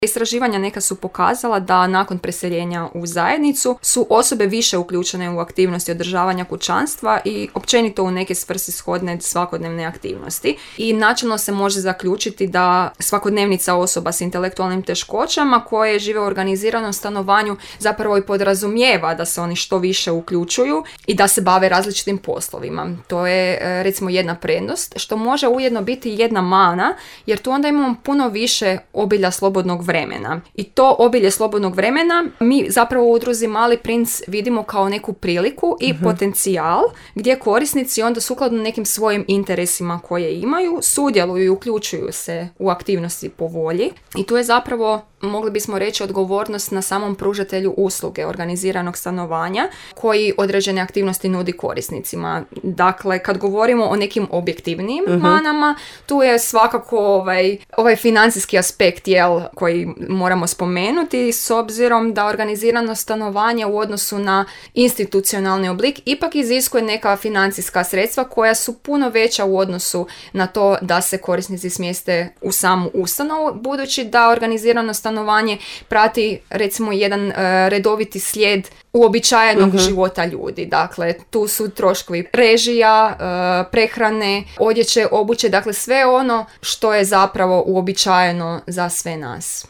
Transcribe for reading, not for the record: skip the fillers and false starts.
Istraživanja neka su pokazala da nakon preseljenja u zajednicu su osobe više uključene u aktivnosti održavanja kućanstva i općenito u neke svrsishodne svakodnevne aktivnosti. I načelno se može zaključiti da svakodnevnica osoba s intelektualnim teškoćama koje žive u organiziranom stanovanju zapravo i podrazumijeva da se oni što više uključuju i da se bave različitim poslovima. To je recimo jedna prednost, što može ujedno biti jedna mana, jer tu onda imamo puno više obilja slobodnog vremena. I to obilje slobodnog vremena mi zapravo u udruzi Mali princ vidimo kao neku priliku i potencijal gdje korisnici onda sukladno nekim svojim interesima koje imaju sudjeluju i uključuju se u aktivnosti po volji. I tu je zapravo, mogli bismo reći, odgovornost na samom pružatelju usluge organiziranog stanovanja koji određene aktivnosti nudi korisnicima. Dakle, kad govorimo o nekim objektivnijim manama, tu je svakako ovaj financijski aspekt koji moramo spomenuti, s obzirom da organizirano stanovanje u odnosu na institucionalni oblik ipak iziskuje neka financijska sredstva koja su puno veća u odnosu na to da se korisnici smjeste u samu ustanovu, budući da organizirano stanovanje prati recimo jedan redoviti slijed uobičajenog života ljudi. Dakle, tu su troškovi režija, prehrane, odjeće, obuće, dakle sve ono što je zapravo uobičajeno za sve nas.